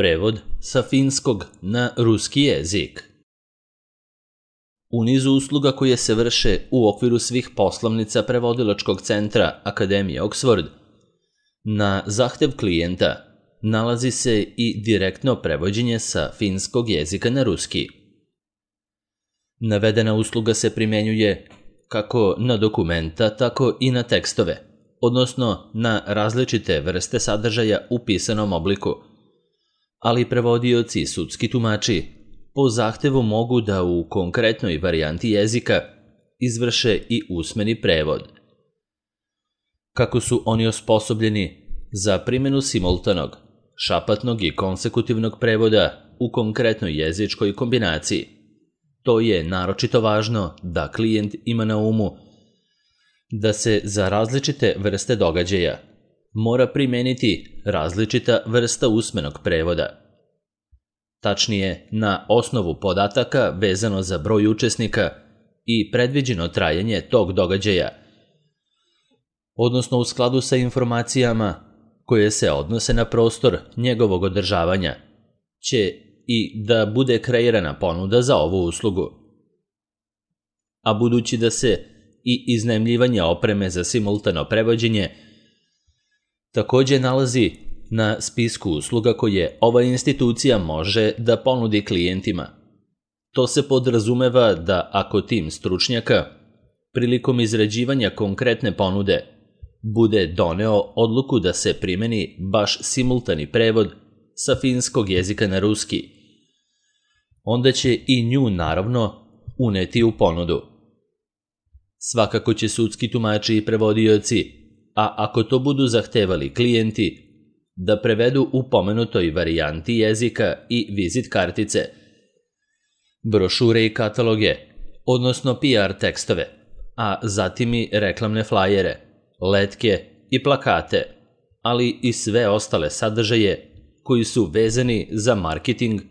Prevod sa finskog na ruski jezik. U nizu usluga koje se vrše u okviru svih poslovnica prevodilačkog centra Akademije Oxford, na zahtev klijenta nalazi se i direktno prevođenje sa finskog jezika na ruski. Navedena usluga se primjenjuje kako na dokumenta, tako i na tekstove, odnosno na različite vrste sadržaja u pisanom obliku, ali prevodioci i sudski tumači po zahtevu mogu da u konkretnoj varijanti jezika izvrše i usmeni prevod. Kako su oni osposobljeni za primjenu simultanog, šapatnog i konsekutivnog prevoda u konkretnoj jezičkoj kombinaciji, to je naročito važno da klijent ima na umu da se za različite vrste događaja mora primeniti različita vrsta usmenog prevoda. Tačnije, na osnovu podataka vezano za broj učesnika i predviđeno trajanje tog događaja, odnosno u skladu sa informacijama koje se odnose na prostor njegovog održavanja, će i da bude kreirana ponuda za ovu uslugu. A budući da se i iznajmljivanje opreme za simultano prevođenje također nalazi na spisku usluga koje ova institucija može da ponudi klijentima, to se podrazumeva da ako tim stručnjaka prilikom izrađivanja konkretne ponude bude doneo odluku da se primeni baš simultani prevod sa finskog jezika na ruski, onda će i nju naravno uneti u ponudu. Svakako će sudski tumači i prevodioci, a ako to budu zahtevali klijenti, da prevedu u pomenutoj varijanti jezika i vizit kartice, brošure i kataloge, odnosno PR tekstove, a zatim i reklamne flajere, letke i plakate, ali i sve ostale sadržaje koji su vezani za marketing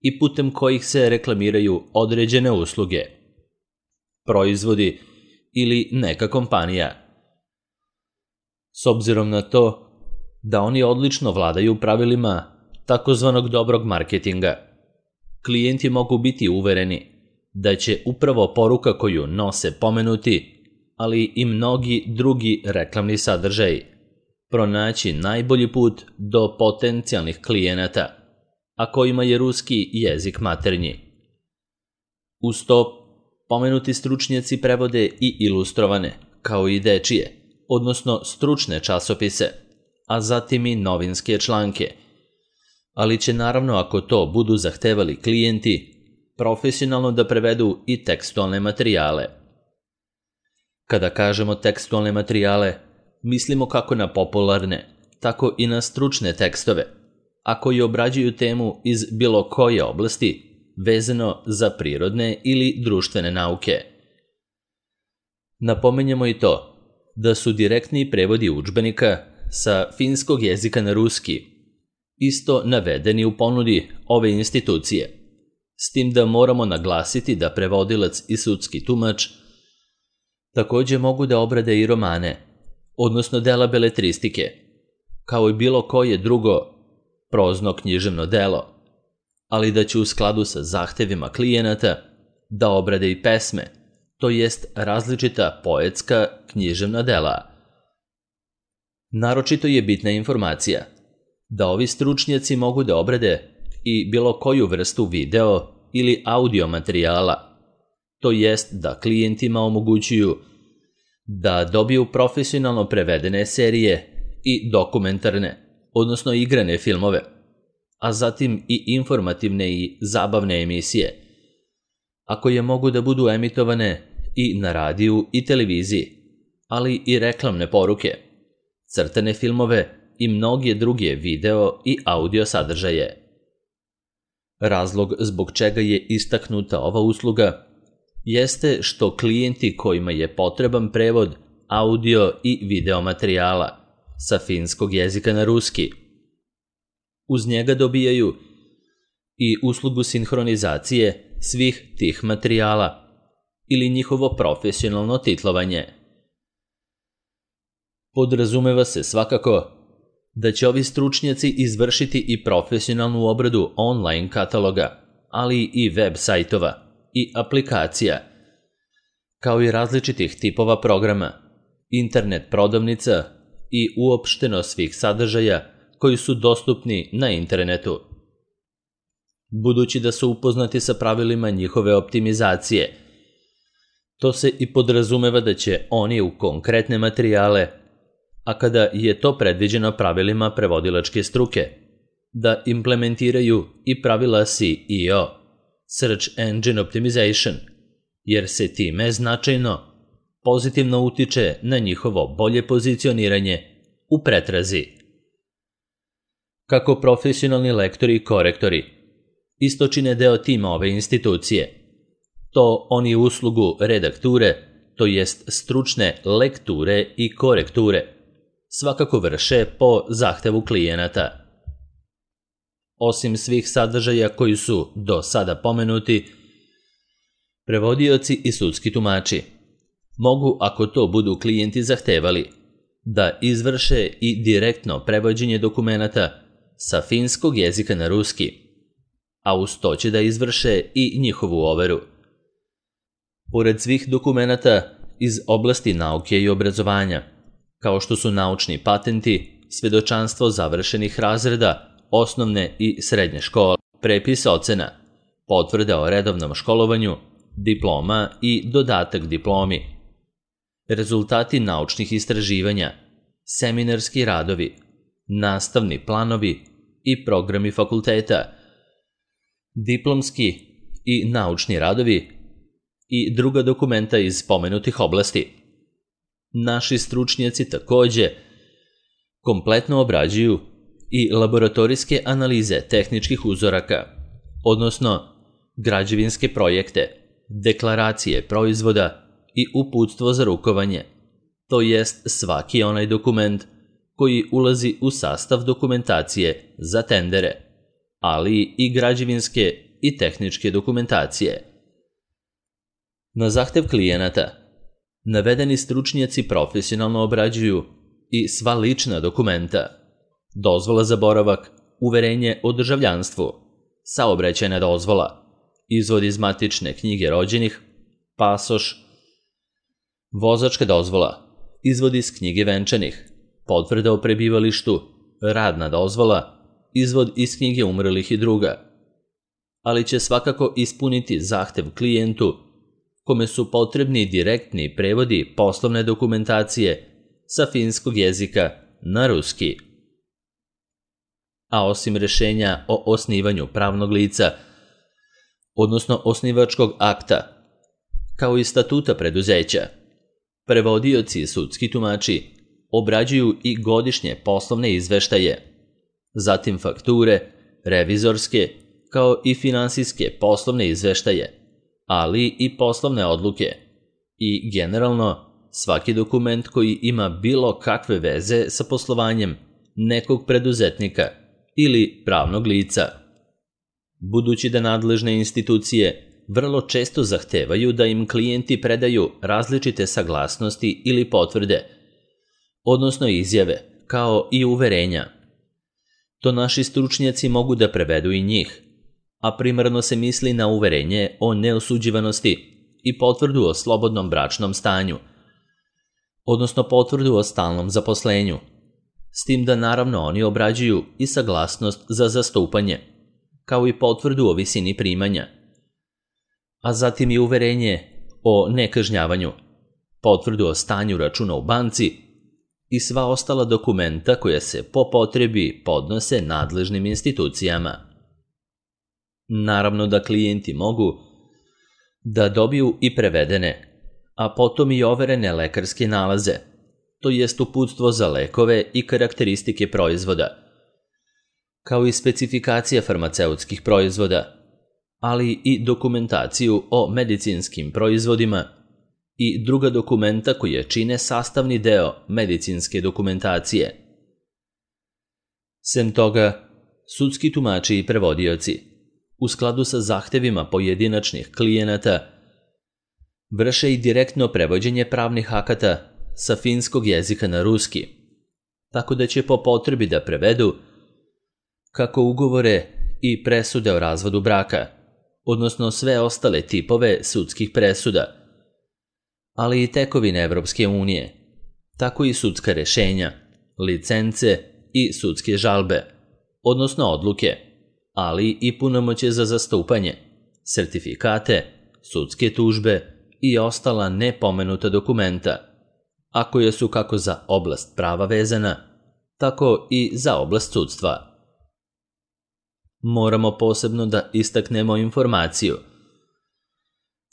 i putem kojih se reklamiraju određene usluge, proizvodi ili neka kompanija. S obzirom na to da oni odlično vladaju pravilima takozvanog dobrog marketinga, klijenti mogu biti uvereni da će upravo poruka koju nose pomenuti, ali i mnogi drugi reklamni sadržaji, pronaći najbolji put do potencijalnih klijenata, a kojima je ruski jezik maternji. Uz to, pomenuti stručnjaci prevode i ilustrovane, kao i dečije, odnosno stručne časopise, a zatim i novinske članke, ali će naravno, ako to budu zahtevali klijenti, profesionalno da prevedu i tekstualne materijale. Kada kažemo tekstualne materijale, mislimo kako na popularne, tako i na stručne tekstove, a koji obrađuju temu iz bilo koje oblasti vezano za prirodne ili društvene nauke. Napominjemo i to da su direktni prevodi udžbenika sa finskog jezika na ruski isto navedeni u ponudi ove institucije, s tim da moramo naglasiti da prevodilac i sudski tumač također mogu da obrade i romane, odnosno dela beletristike, kao i bilo koje drugo prozno književno delo, ali da će u skladu sa zahtevima klijenata da obrade i pesme, to jest različita poetska književna dela. Naročito je bitna informacija da ovi stručnjaci mogu da obrade i bilo koju vrstu video ili audio materijala, to jest da klijentima omogućuju da dobiju profesionalno prevedene serije i dokumentarne, odnosno igrane filmove, a zatim i informativne i zabavne emisije, a koje mogu da budu emitovane i na radiju i televiziji, ali i reklamne poruke, crtane filmove i mnoge druge video i audio sadržaje. Razlog zbog čega je istaknuta ova usluga jeste što klijenti kojima je potreban prevod audio i video materijala sa finskog jezika na ruski, uz njega dobijaju i uslugu sinhronizacije svih tih materijala ili njihovo profesionalno titlovanje. Podrazumeva se svakako da će ovi stručnjaci izvršiti i profesionalnu obradu online kataloga, ali i web sajtova i aplikacija, kao i različitih tipova programa, internet prodavnica i uopšteno svih sadržaja koji su dostupni na internetu. Budući da su upoznati sa pravilima njihove optimizacije, to se i podrazumeva da će oni u konkretne materijale, a kada je to predviđeno pravilima prevodilačke struke, da implementiraju i pravila SEO, Search Engine Optimization, jer se time značajno pozitivno utiče na njihovo bolje pozicioniranje u pretrazi. Kako profesionalni lektori i korektori isto čine deo tima ove institucije, to oni uslugu redakture, to jest stručne lekture i korekture, svakako vrše po zahtevu klijenata. Osim svih sadržaja koji su do sada pomenuti, prevodioci i sudski tumači mogu, ako to budu klijenti zahtevali, da izvrše i direktno prevođenje dokumenata sa finskog jezika na ruski, a uz to će da izvrše i njihovu overu. Pored svih dokumenata iz oblasti nauke i obrazovanja, kao što su naučni patenti, svedočanstvo završenih razreda, osnovne i srednje škole, prepis ocena, potvrda o redovnom školovanju, diploma i dodatak diplomi, rezultati naučnih istraživanja, seminarski radovi, nastavni planovi i programi fakulteta, diplomski i naučni radovi i druga dokumenta iz pomenutih oblasti. Naši stručnjaci takođe kompletno obrađuju i laboratorijske analize tehničkih uzoraka, odnosno građevinske projekte, deklaracije proizvoda i uputstvo za rukovanje, to jest svaki onaj dokument koji ulazi u sastav dokumentacije za tendere, ali i građevinske i tehničke dokumentacije. Na zahtev klijenata, navedeni stručnjaci profesionalno obrađuju i sva lična dokumenta, dozvola za boravak, uverenje o državljanstvu, saobraćajna dozvola, izvod iz matične knjige rođenih, pasoš, vozačka dozvola, izvod iz knjige venčanih, potvrda o prebivalištu, radna dozvola, izvod iz knjige umrlih i druga, ali će svakako ispuniti zahtev klijentu kome su potrebni direktni prevodi poslovne dokumentacije sa finskog jezika na ruski. A osim rešenja o osnivanju pravnog lica, odnosno osnivačkog akta, kao i statuta preduzeća, prevodioci i sudski tumači obrađuju i godišnje poslovne izveštaje, zatim fakture, revizorske, kao i finansijske poslovne izveštaje, ali i poslovne odluke i generalno svaki dokument koji ima bilo kakve veze sa poslovanjem nekog preduzetnika ili pravnog lica. Budući da nadležne institucije vrlo često zahtevaju da im klijenti predaju različite saglasnosti ili potvrde, odnosno izjave, kao i uverenja. To naši stručnjaci mogu da prevedu i njih, a primarno se misli na uverenje o neosuđivanosti i potvrdu o slobodnom bračnom stanju, odnosno potvrdu o stalnom zaposlenju, s tim da naravno oni obrađuju i saglasnost za zastupanje, kao i potvrdu o visini primanja, a zatim i uverenje o nekažnjavanju, potvrdu o stanju računa u banci i sva ostala dokumenta koja se po potrebi podnose nadležnim institucijama. Naravno da klijenti mogu da dobiju i prevedene, a potom i overene lekarske nalaze, to jest uputstvo za lekove i karakteristike proizvoda, kao i specifikacija farmaceutskih proizvoda, ali i dokumentaciju o medicinskim proizvodima i druga dokumenta koje čine sastavni deo medicinske dokumentacije. Sem toga, sudski tumači i prevodioci, u skladu sa zahtevima pojedinačnih klijenata, vrše i direktno prevođenje pravnih akata sa finskog jezika na ruski, tako da će po potrebi da prevedu kako ugovore i presude o razvodu braka, odnosno sve ostale tipove sudskih presuda, ali i tekovine Evropske unije, tako i sudska rešenja, licence i sudske žalbe, odnosno odluke, ali i punomoćje za zastupanje, sertifikate, sudske tužbe i ostala nepomenuta dokumenta, a koje su kako za oblast prava vezana, tako i za oblast sudstva. Moramo posebno da istaknemo informaciju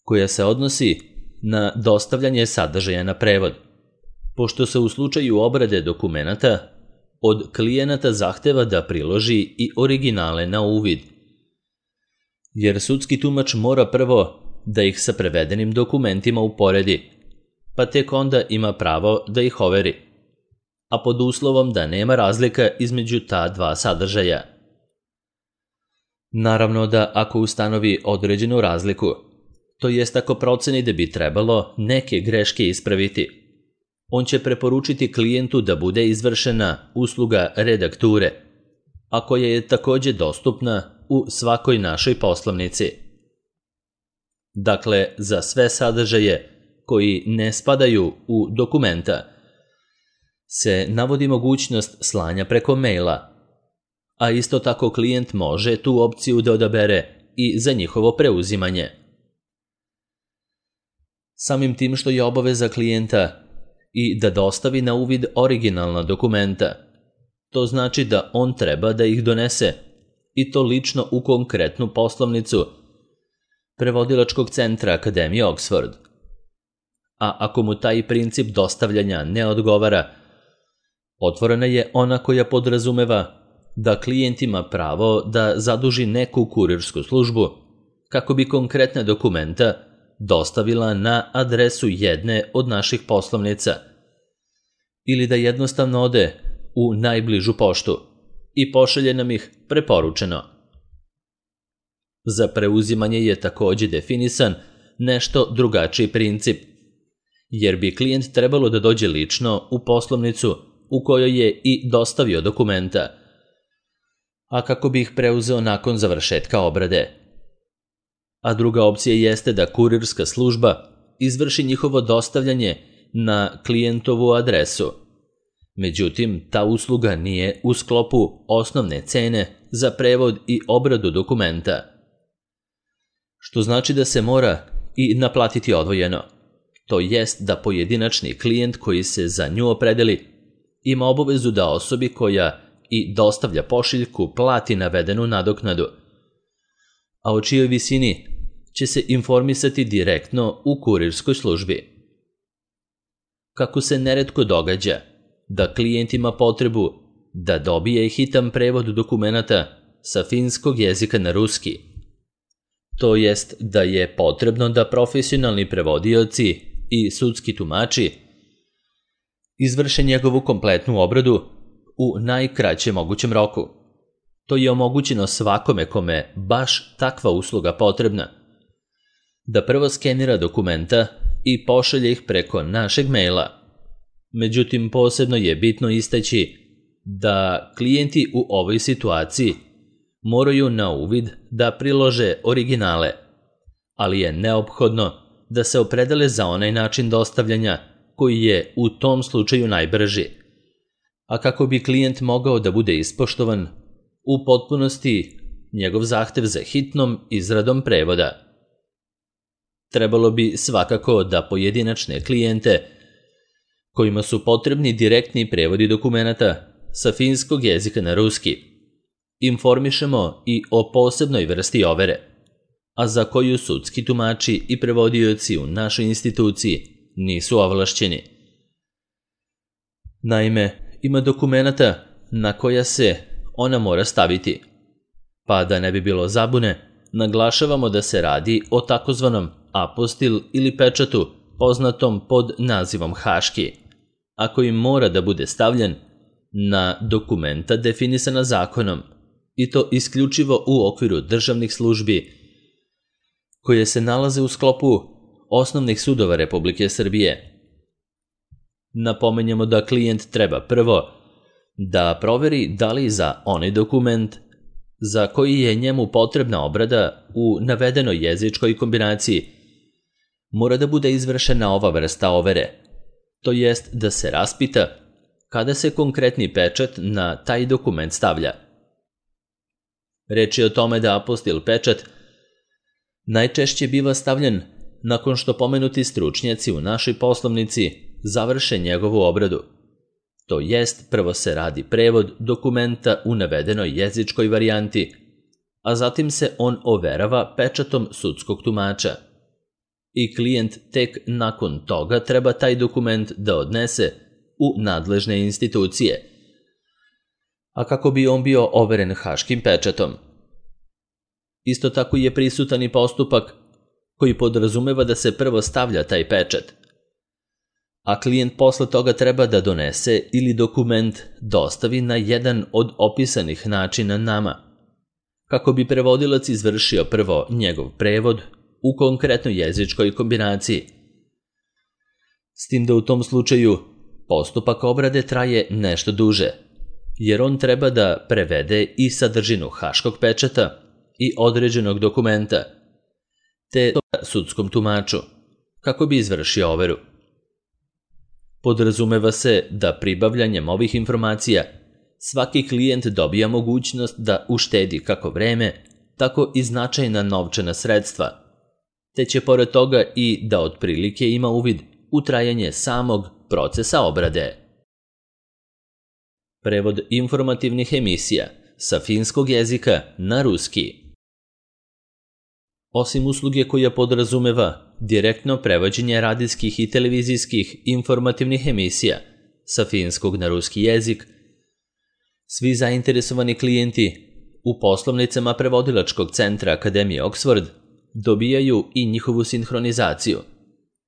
koja se odnosi na dostavljanje sadržaja na prevod, pošto se u slučaju obrade dokumenata od klijenata zahteva da priloži i originale na uvid, jer sudski tumač mora prvo da ih sa prevedenim dokumentima uporedi, pa tek onda ima pravo da ih overi, a pod uslovom da nema razlika između ta dva sadržaja. Naravno da ako ustanovi određenu razliku, to jest ako proceni da bi trebalo neke greške ispraviti, on će preporučiti klijentu da bude izvršena usluga redakture, a koja je takođe dostupna u svakoj našoj poslovnici. Dakle, za sve sadržaje koji ne spadaju u dokumenta se navodi mogućnost slanja preko maila, a isto tako klijent može tu opciju da odabere i za njihovo preuzimanje. Samim tim što je obaveza klijenta i da dostavi na uvid originalna dokumenta, to znači da on treba da ih donese, i to lično u konkretnu poslovnicu Prevodilačkog centra Akademije Oxford. A ako mu taj princip dostavljanja ne odgovara, otvorena je ona koja podrazumeva da klijent ima pravo da zaduži neku kurirsku službu kako bi konkretne dokumenta dostavila na adresu jedne od naših poslovnica ili da jednostavno ode u najbližu poštu i pošalje nam ih preporučeno. Za preuzimanje je takođe definisan nešto drugačiji princip, jer bi klijent trebalo da dođe lično u poslovnicu u kojoj je i dostavio dokumenta, a kako bi ih preuzeo nakon završetka obrade. A druga opcija jeste da kurirska služba izvrši njihovo dostavljanje na klijentovu adresu. Međutim, ta usluga nije u sklopu osnovne cene za prevod i obradu dokumenta, što znači da se mora i naplatiti odvojeno. To jest da pojedinačni klijent koji se za nju opredeli ima obavezu da osobi koja i dostavlja pošiljku plati navedenu nadoknadu, a o čijoj visini će se informisati direktno u kurirskoj službi. Kako se neretko događa da klijent ima potrebu da dobije hitan prevod dokumenata sa finskog jezika na ruski, to jest da je potrebno da profesionalni prevodioci i sudski tumači izvrše njegovu kompletnu obradu u najkraćem mogućem roku. To je omogućeno svakome kome baš takva usluga potrebna, da prvo skenira dokumenta i pošalje ih preko našeg maila. Međutim, posebno je bitno istaći da klijenti u ovoj situaciji moraju na uvid da prilože originale, ali je neophodno da se opredele za onaj način dostavljanja koji je u tom slučaju najbrži, a kako bi klijent mogao da bude ispoštovan u potpunosti njegov zahtev za hitnom izradom prevoda. Trebalo bi svakako da pojedinačne klijente kojima su potrebni direktni prevodi dokumenata sa finskog jezika na ruski informišemo i o posebnoj vrsti overe, a za koju sudski tumači i prevodioci u našoj instituciji nisu ovlašćeni. Naime, ima dokumenata na koja se ona mora staviti, pa da ne bi bilo zabune, naglašavamo da se radi o takozvanom apostil ili pečatu poznatom pod nazivom haški, a koji mora da bude stavljen na dokumenta definisana zakonom, i to isključivo u okviru državnih službi koje se nalaze u sklopu osnovnih sudova Republike Srbije. Napomenjamo da klijent treba prvo da proveri da li za onaj dokument za koji je njemu potrebna obrada u navedenoj jezičkoj kombinaciji mora da bude izvršena ova vrsta overe, to jest da se raspita kada se konkretni pečat na taj dokument stavlja. Reč je o tome da apostil pečat najčešće biva stavljen nakon što pomenuti stručnjaci u našoj poslovnici završe njegovu obradu. To jest, prvo se radi prevod dokumenta u navedenoj jezičkoj varijanti, a zatim se on overava pečatom sudskog tumača. I klijent tek nakon toga treba taj dokument da odnese u nadležne institucije, a kako bi on bio overen haškim pečatom. Isto tako je prisutan i postupak koji podrazumeva da se prvo stavlja taj pečat, a klijent posle toga treba da donese ili dokument dostavi na jedan od opisanih načina nama, kako bi prevodilac izvršio prvo njegov prevod u konkretnoj jezičkoj kombinaciji. S tim da u tom slučaju postupak obrade traje nešto duže, jer on treba da prevede i sadržinu haškog pečata i određenog dokumenta, te sudskom tumaču, kako bi izvršio overu. Podrazumeva se da pribavljanjem ovih informacija svaki klijent dobija mogućnost da uštedi kako vreme, tako i značajna novčana sredstva, te će pored toga i da otprilike ima uvid u trajanje samog procesa obrade. Prevod informativnih emisija sa finskog jezika na ruski. Osim usluge koja podrazumeva direktno prevođenje radijskih i televizijskih informativnih emisija sa finskog na ruski jezik, svi zainteresovani klijenti u poslovnicama prevodilačkog centra Akademije Oxford dobijaju i njihovu sinhronizaciju,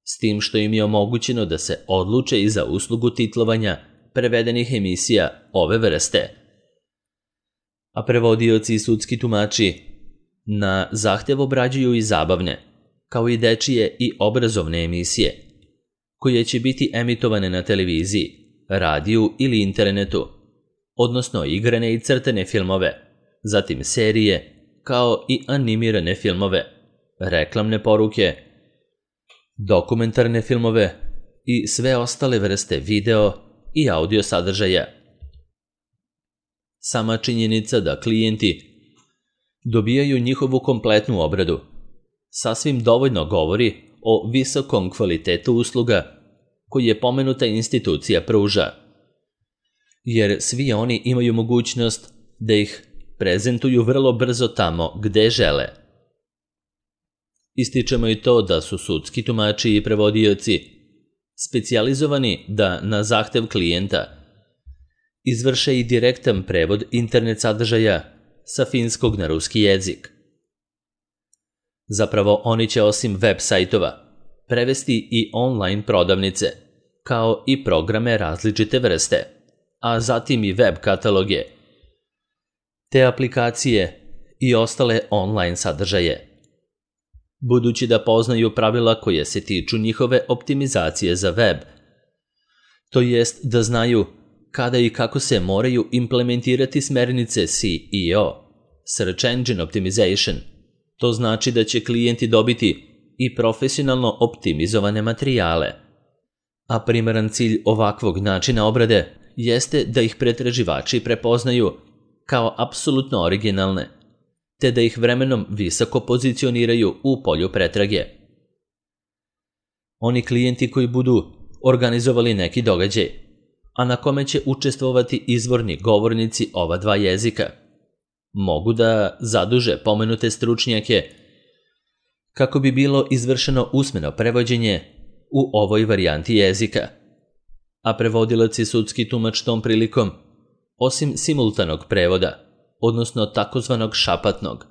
s tim što im je omogućeno da se odluče i za uslugu titlovanja prevedenih emisija ove vrste. A prevodioci i sudski tumači na zahtev obrađuju i zabavne, kao i dečije i obrazovne emisije, koje će biti emitovane na televiziji, radiju ili internetu, odnosno igrane i crtene filmove, zatim serije, kao i animirane filmove, reklamne poruke, dokumentarne filmove i sve ostale vrste video i audio sadržaja. Sama činjenica da klijenti dobijaju njihovu kompletnu obradu sasvim dovoljno govori o visokom kvalitetu usluga koje pomenuta institucija pruža, jer svi oni imaju mogućnost da ih prezentuju vrlo brzo tamo gde žele. Ističemo i to da su sudski tumači i prevodioci specijalizovani da na zahtev klijenta izvrše i direktan prevod internet sadržaja sa finskog na ruski jezik. Zapravo, oni će osim web sajtova prevesti i online prodavnice, kao i programe različite vrste, a zatim i web kataloge, te aplikacije i ostale online sadržaje. Budući da poznaju pravila koje se tiču njihove optimizacije za web, to jest da znaju kada i kako se moraju implementirati smernice SEO, Search Engine Optimization, to znači da će klijenti dobiti i profesionalno optimizovane materijale. A primaran cilj ovakvog načina obrade jeste da ih pretraživači prepoznaju kao apsolutno originalne, te da ih vremenom visoko pozicioniraju u polju pretrage. Oni klijenti koji budu organizovali neki događaj, a na kome će učestvovati izvorni govornici ova dva jezika, mogu da zaduže pomenute stručnjake kako bi bilo izvršeno usmeno prevođenje u ovoj varijanti jezika, a prevodilac i sudski tumač tom prilikom, osim simultanog prevoda, odnosno takozvanog šapatnog,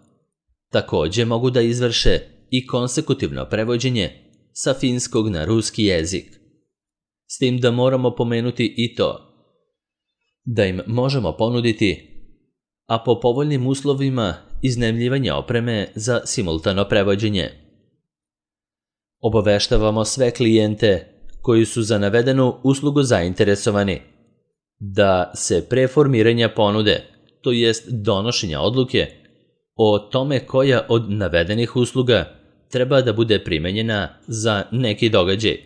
takođe mogu da izvrše i konsekutivno prevođenje sa finskog na ruski jezik. S tim da moramo pomenuti i to da im možemo ponuditi, a po povoljnim uslovima, iznajmljivanje opreme za simultano prevođenje. Obaveštavamo sve klijente koji su za navedenu uslugu zainteresovani da se pre formiranja ponude, to jest donošenja odluke, o tome koja od navedenih usluga treba da bude primenjena za neki događaj.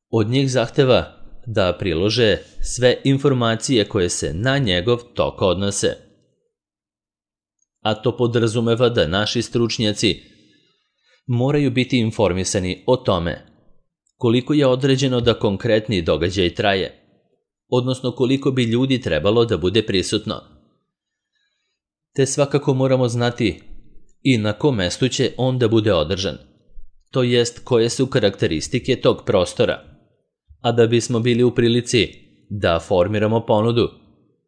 Od njih zahteva da prilože sve informacije koje se na njegov tok odnose. A to podrazumeva da naši stručnjaci moraju biti informisani o tome koliko je određeno da konkretni događaj traje, odnosno koliko bi ljudi trebalo da bude prisutno. Te svakako moramo znati i na kom mestu će on da bude održan, to jest koje su karakteristike tog prostora. A da bismo bili u prilici da formiramo ponudu,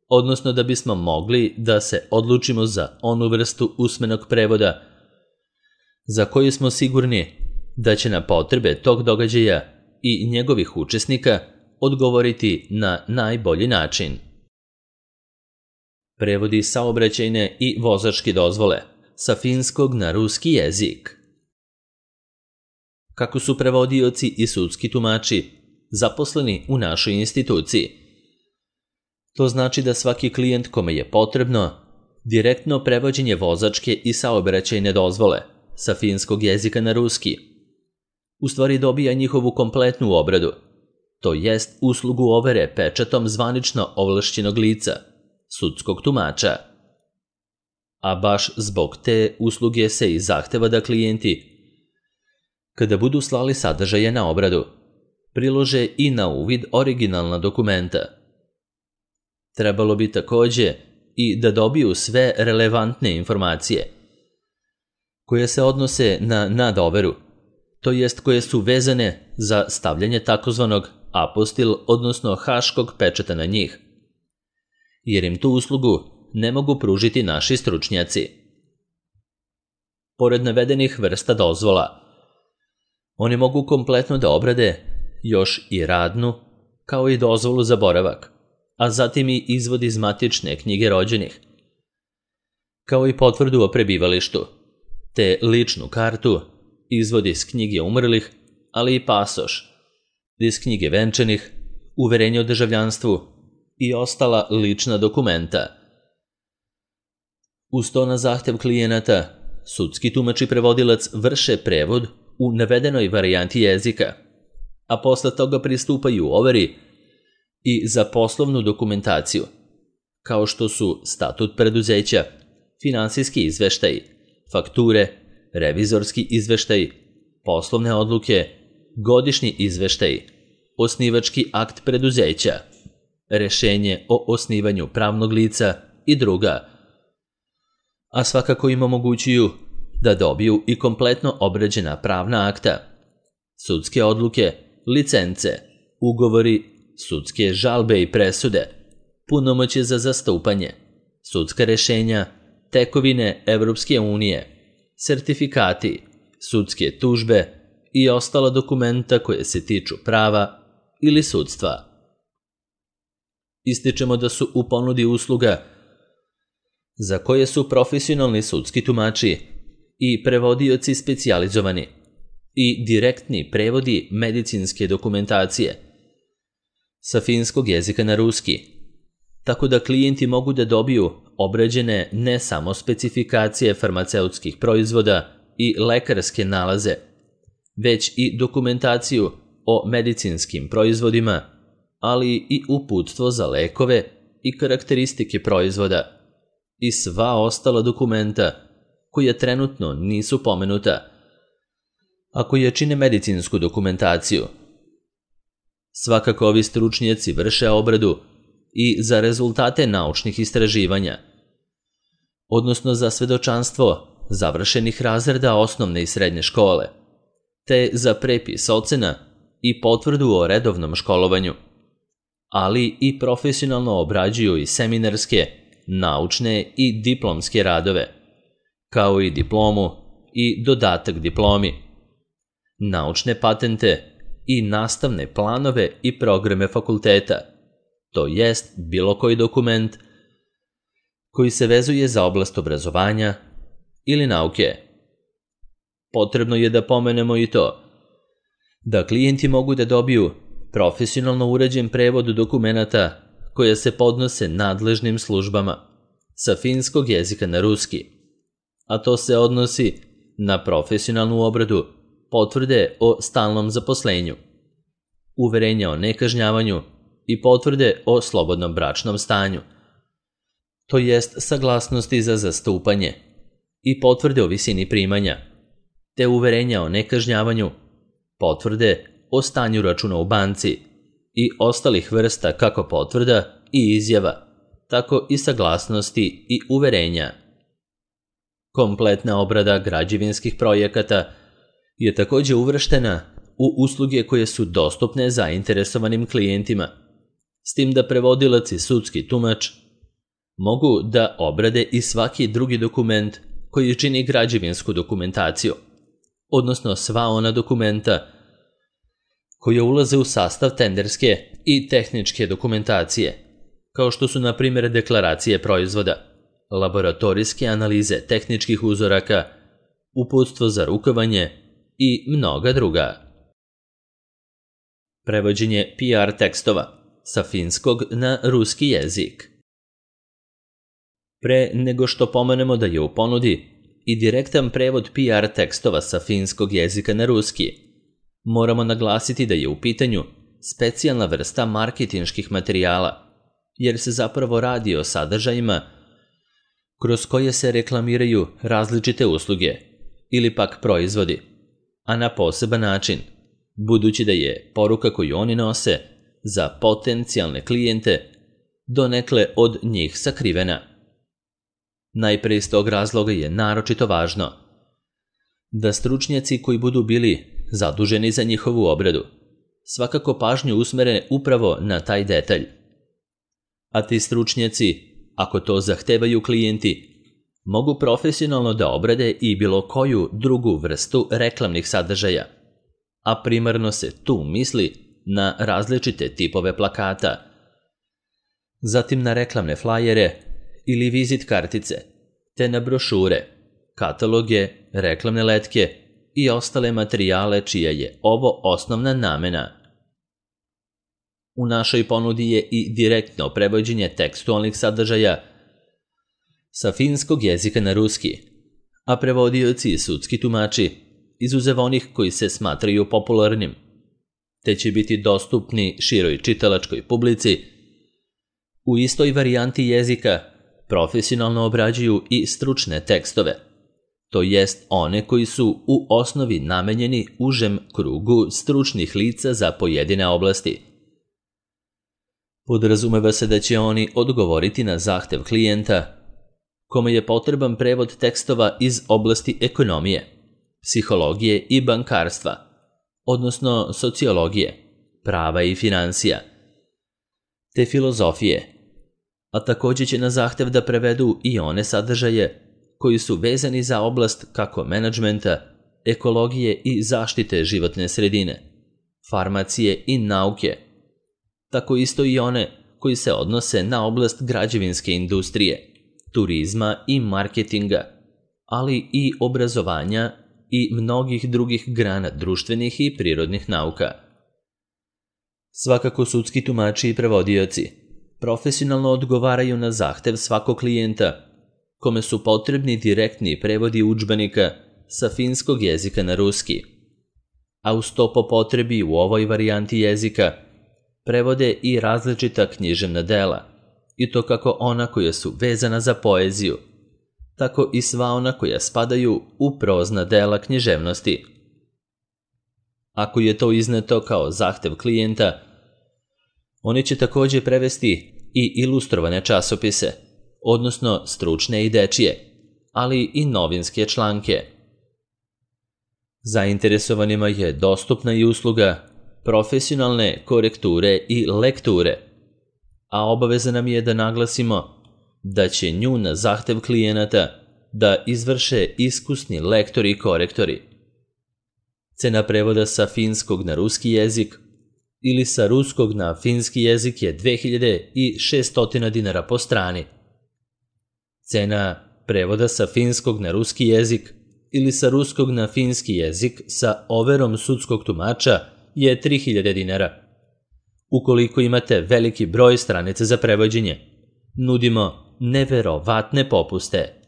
odnosno da bismo mogli da se odlučimo za onu vrstu usmenog prevoda za koju smo sigurni da će na potrebe tog događaja i njegovih učesnika odgovoriti na najbolji način. Prevodi saobraćajne i vozačke dozvole sa finskog na ruski jezik. Kako su prevodioci i sudski tumači zaposleni u našoj instituciji? To znači da svaki klijent kome je potrebno direktno prevođenje vozačke i saobraćajne dozvole sa finskog jezika na ruski u stvari dobija njihovu kompletnu obradu, to jest uslugu overe pečatom zvanično ovlašćenog lica, sudskog tumača. A baš zbog te usluge se i zahteva da klijenti, kada budu slali sadržaje na obradu, prilože i na uvid originalna dokumenta. Trebalo bi takođe i da dobiju sve relevantne informacije koje se odnose na nadoveru, to jest koje su vezane za stavljanje takozvanog apostil, odnosno haškog pečata na njih, jer im tu uslugu ne mogu pružiti naši stručnjaci. Pored navedenih vrsta dozvola, oni mogu kompletno da obrade još i radnu, kao i dozvolu za boravak, a zatim i izvod iz matične knjige rođenih, kao i potvrdu o prebivalištu, te ličnu kartu, izvod iz knjige umrlih, ali i pasoš, iz knjige venčanih, uverenje o državljanstvu i ostala lična dokumenta. Uz to na zahtev klijenata, sudski tumač i prevodilac vrše prevod u navedenoj varijanti jezika, a posle toga pristupaju overi i za poslovnu dokumentaciju, kao što su statut preduzeća, finansijski izveštaji, fakture, revizorski izveštaji, poslovne odluke, godišnji izveštaji, osnivački akt preduzeća, rešenje o osnivanju pravnog lica i druga. A svakako im omogućuju da dobiju i kompletno obrađena pravna akta, sudske odluke, licence, ugovori, sudske žalbe i presude, punomoćje za zastupanje, sudska rešenja, tekovine Evropske unije, sertifikati, sudske tužbe i ostala dokumenta koje se tiču prava ili sudstva. Ističemo da su u ponudi usluga za koje su profesionalni sudski tumači i prevodioci specijalizovani i direktni prevodi medicinske dokumentacije sa finskog jezika na ruski, tako da klijenti mogu da dobiju obrađene ne samo specifikacije farmaceutskih proizvoda i lekarske nalaze, već i dokumentaciju o medicinskim proizvodima, ali i uputstvo za lekove i karakteristike proizvoda i sva ostala dokumenta koja trenutno nisu pomenuta, a koja čine medicinsku dokumentaciju. Svakako ovi stručnjaci vrše obradu i za rezultate naučnih istraživanja, odnosno za svedočanstvo završenih razreda osnovne i srednje škole, te za prepis ocena i potvrdu o redovnom školovanju, ali i profesionalno obrađuju i seminarske, naučne i diplomske radove, kao i diplomu i dodatak diplomi, naučne patente i nastavne planove i programe fakulteta, to jest bilo koji dokument koji se vezuje za oblast obrazovanja ili nauke. Potrebno je da pomenemo i to da klijenti mogu da dobiju profesionalno uređen prevod dokumenata koje se podnose nadležnim službama sa finskog jezika na ruski, a to se odnosi na profesionalnu obradu potvrde o stalnom zaposlenju, uverenja o nekažnjavanju i potvrde o slobodnom bračnom stanju, to jest saglasnosti za zastupanje i potvrde o visini primanja, te uverenja o nekažnjavanju, potvrde o stanju računa u banci i ostalih vrsta kako potvrda i izjava, tako i saglasnosti i uverenja. Kompletna obrada građevinskih projekata je također uvrštena u usluge koje su dostupne zainteresovanim klijentima, s tim da prevodilac i sudski tumač mogu da obrade i svaki drugi dokument koji čini građevinsku dokumentaciju, odnosno sva ona dokumenta koje ulaze u sastav tenderske i tehničke dokumentacije, kao što su na primjer deklaracije proizvoda, laboratorijske analize tehničkih uzoraka, uputstvo za rukovanje i mnoga druga. Prevođenje PR tekstova sa finskog na ruski jezik. Pre nego što pomenemo da je u ponudi i direktan prevod PR tekstova sa finskog jezika na ruski, moramo naglasiti da je u pitanju specijalna vrsta marketinških materijala, jer se zapravo radi o sadržajima kroz koje se reklamiraju različite usluge ili pak proizvodi, a na poseban način, budući da je poruka koju oni nose za potencijalne klijente donekle od njih sakrivena. Najpre iz tog razloga je naročito važno da stručnjaci koji budu bili zaduženi za njihovu obradu svakako pažnju usmere upravo na taj detalj. A ti stručnjaci, ako to zahtevaju klijenti, mogu profesionalno da obrade i bilo koju drugu vrstu reklamnih sadržaja, a primarno se tu misli na različite tipove plakata, zatim na reklamne flajere ili vizit kartice, te na brošure, kataloge, reklamne letke i ostale materijale čija je ovo osnovna namena. U našoj ponudi je i direktno prevođenje tekstualnih sadržaja sa finskog jezika na ruski, a prevodioci i sudski tumači, izuzev onih koji se smatraju popularnim, te će biti dostupni široj čitalačkoj publici, u istoj varijanti jezika profesionalno obrađuju i stručne tekstove, to jest one koji su u osnovi namenjeni užem krugu stručnih lica za pojedine oblasti. Podrazumeva se da će oni odgovoriti na zahtev klijenta kome je potreban prevod tekstova iz oblasti ekonomije, psihologije i bankarstva, odnosno sociologije, prava i financija, te filozofije, a također će na zahtev da prevedu i one sadržaje koji su vezani za oblast kako menadžmenta, ekologije i zaštite životne sredine, farmacije i nauke, tako isto i one koji se odnose na oblast građevinske industrije, turizma i marketinga, ali i obrazovanja i mnogih drugih grana društvenih i prirodnih nauka. Svakako sudski tumači i prevodioci profesionalno odgovaraju na zahtev svakog klijenta kome su potrebni direktni prevodi udžbenika sa finskog jezika na ruski, a uz to po potrebi u ovoj varijanti jezika prevode i različita književna dela, i to kako ona koja su vezana za poeziju, tako i sva ona koja spadaju u prozna dela književnosti. Ako je to izneto kao zahtev klijenta, oni će također prevesti i ilustrovane časopise, odnosno stručne i dečije, ali i novinske članke. Zainteresovanima je dostupna i usluga profesionalne korekture i lekture, a obaveza nam je da naglasimo da će nju na zahtev klijenata da izvrše iskusni lektori i korektori. Cena prevoda sa finskog na ruski jezik ili sa ruskog na finski jezik je 2600 dinara po strani. Cena prevoda sa finskog na ruski jezik ili sa ruskog na finski jezik sa overom sudskog tumača je 3000 dinara, Ukoliko imate veliki broj stranica za prevođenje, nudimo neverovatne popuste.